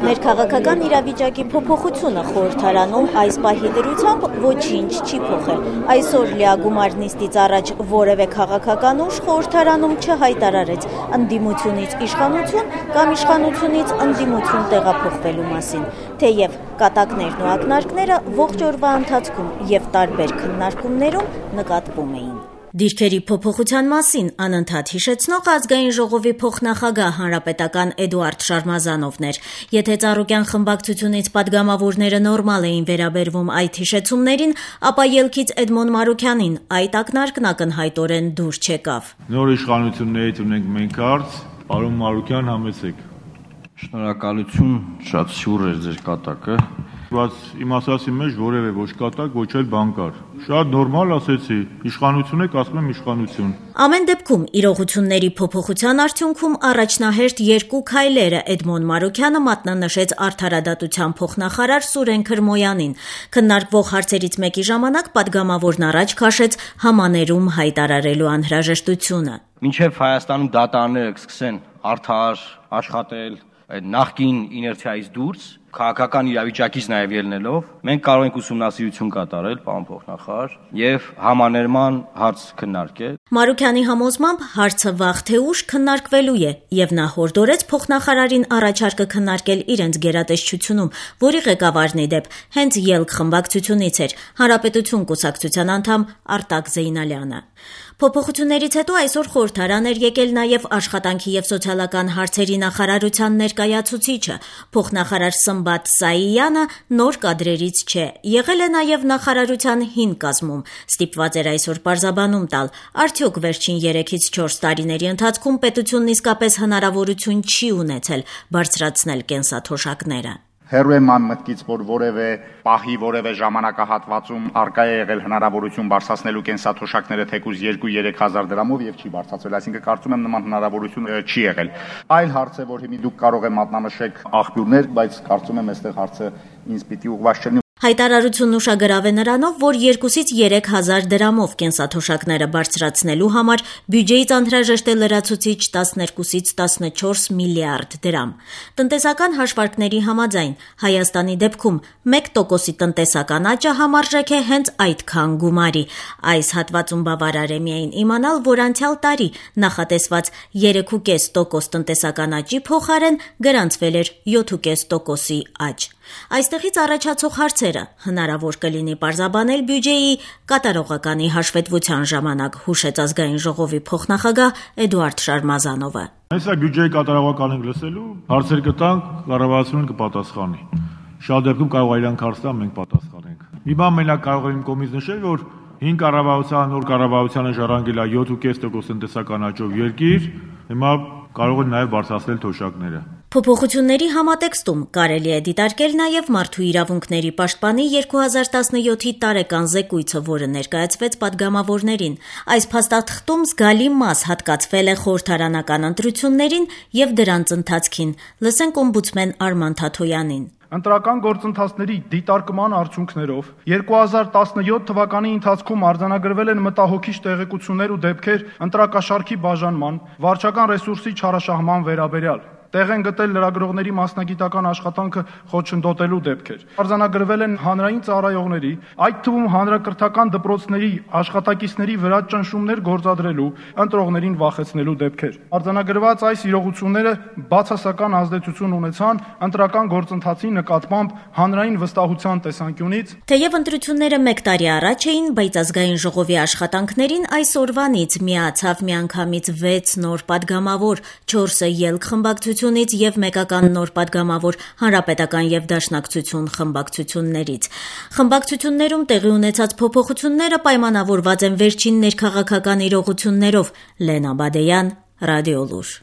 Ներքաղաքական իրավիճակի փոփոխությունը խորհրդարանում այս պահի դրությամբ ոչինչ չի փոխել։ Այսօր լիագումար նիստից առաջ որևէ քաղաքական ուժ խորհրդարանում չհայտարարեց ընդդիմությունից իշխանություն կամ իշխանությունից ընդդիմություն տեղափոխվելու մասին, թեև կատակներն ու ակնարկները ողջ օրվա ընթացքում եւ տարբեր քննարկումներում նկատվում էին։ Դիրքերի փոփոխության մասին անընդհատ հիշեցնող Ազգային ժողովի փոխնախագահ հանրապետական Էդուարդ Շարմազանովն էր։ Եթե Ծառուկյան խմբակցությունից падգամավորները նորմալ էին վերաբերվում այդ հիշեցումներին, ապա ելքից Էդմոն Մարուքյանին այդ ակնարկն ակնհայտորեն դուր չեկավ։ Նոր իշխանություններից ունենք մենք հարց, պարոն Մարուքյան, համեցեք։ Շնորհակալություն, շատ սյուր էր ձեր կատակը։ Բայց իմ ասացի մեջ որևէ ոչ կատակ, ոչ էլ բան կար։ Շատ նորմալ ասեցի, իշխանություն եք, ասում եմ իշխանություն։ Ամեն դեպքում իրողությունների փոփոխության արդյունքում առաջնահերթ երկու քայլերը Էդմոն Մարուքյանը մատնանշեց արդարադատության փոխնախարար Սուրեն Քրմոյանին։ Քննարկվող հարցերից մեկի ժամանակ падգամավորն առաջ քաշեց համաներում հայտարարելու անհրաժեշտությունը։ Մինչև Հայաստանում դատարանները կսկսեն արդար աշխատել այդ նախկին իներցիայից դուրս, քաղաքական իրավիճակից նաև ելնելով, մենք կարող ենք ուսումնասիրություն կատարել, պարոն փոխնախարար, եւ համաներման հարց քննարկել։ Մարուքյանի համոզմամբ հարցը վաղ թե ուշ քննարկվելու է, եւ նա հորդորեց փոխնախարարին առաջարկը քննարկել իրենց գերատեսչությունում, որի ղեկավարն ի դեպ հենց ելք խմբակցությունից էր, Հանրապետություն կուսակցության անդամ Արտակ Զեյնալյանը։ Փոփոխություններից հետո այսօր խորհրդարան էր եկել նաև աշխատանքի եւ սոցիալական հարցերի նախարարության ներկայացուցիչը, փոխնախարար Սմբատ Սաիյանը նոր կադրերից չէ, եղել է նաև նախարարության հին կազմում, ստիպված էր այսօր պարզաբանում տալ, արդյոք վերջին 3-ից 4 տարիների ընթացքում պետությունն իսկապես հնարավորություն չի ունեցել բարձրացնել կենսաթոշակները։ Հեռու եմ այն մտքից, որ որևէ պահի, որևէ ժամանակահատվածում արկա է եղել հնարավորություն բարձրացնելու կենսաթոշակները թեկուզ 2-3 հազար դրամով եւ չի բարձրացվել, այսինքն կարծում եմ նման հնարավորություն չի եղել։ Այլ հարց է, որ հիմա դուք կարող եք մատնանշեք աղբյուրներ, բայց կարծում եմ այստեղ հարցը ինձ պիտի ուղղված չլինի։ Հայտարարությունն ուշագրավ է նրանով, որ 2-ից 3 հազար դրամով կենսաթոշակները բարձրացնելու համար բյուջեից անհրաժեշտ է լրացուցիչ 12-ից 14 միլիարդ դրամ։ Տնտեսական հաշվարկների համաձայն Հայաստանի դեպքում 1%-ի տնտեսական աճը համարժեք է հենց այդքան գումարի։ Այս հատվածում բավարար է միայն իմանալ, որ անցյալ տարի նախատեսված 3.5% տնտեսական աճի փոխարեն գրանցվել էր 7.5%-ի աճ։ Այստեղից առաջացող հարցերը հնարավոր կլինի պարզաբանել բյուջեի կատարողականի հաշվետվության ժամանակ, հուշեց Ազգային ժողովի փոխնախագահ Էդուարդ Շարմազանովը։ Այսա բյուջեի կատարողական ենք լսելու, հարցեր կտանք, կառավարությունը կպատասխանի։ Շատ դեպքում կարող է իրանք հարց տան, մենք պատասխանենք։ Մի բան մենակ կարող եմ կողմից նշել, որ 5 կառավարության նոր կառավարությանը ժառանգել է 7.5% տնտեսական աճով երկիր, հիմա կարող են նաև բարձրացնել թոշակները։ Փոփոխությունների համատեքստում կարելի է դիտարկել նաև Մարդու իրավունքների պաշտպանի 2017-ի տարեկան զեկույցը, որը ներկայացվեց падգամավորներին։ Այս փաստաթղթում զգալի մաս հատկացվել է խորհրդարանական ընտրություններին եւ դրանց ընթացքին։ Լսենք օմբուդսմեն Արման Թաթոյանին։ Ընտրական գործընթացների դիտարկման արդյունքներով 2017 թվականի ընթացքում արձանագրվել են մտահոգիչ տեղեկություններ ու դեպքեր ընտրակաշառքի բաժանման, վարչական ռեսուրսի չարաշահման վերաբերյալ։ Տեղ են գտել լրագրողների մասնագիտական աշխատանքը խոչընդոտելու դեպքեր։ Արձանագրվել են հանրային ծառայողների, այդ թվում հանրակրթական դպրոցների աշխատակիցների վրա ճնշումներ գործադրելու, ընտրողներին վախեցնելու դեպքեր։ Արձանագրված այս իրողությունները բացասական ազդեցություն ունեցան ընտրական գործընթացի նկատմամբ հանրային վստահության տեսանկյունից։ Թեև ընտրությունները 1 տարի առաջ էին, բայց Ազգային ժողովի աշխատանքներին այսօրվանից միացավ միանգամից 6 նոր падգամավոր, 4-ը ելք խմբակցություն եւ մեկական նոր падգամավոր Հանրապետական եւ Դաշնակցություն խմբակցություններից։ Խմբակցություններում տեղի ունեցած փոփոխությունները պայմանավորված են վերջին ներքաղաքական իրողություններով։ Լենա Բադեյան, Ռադիոլուր։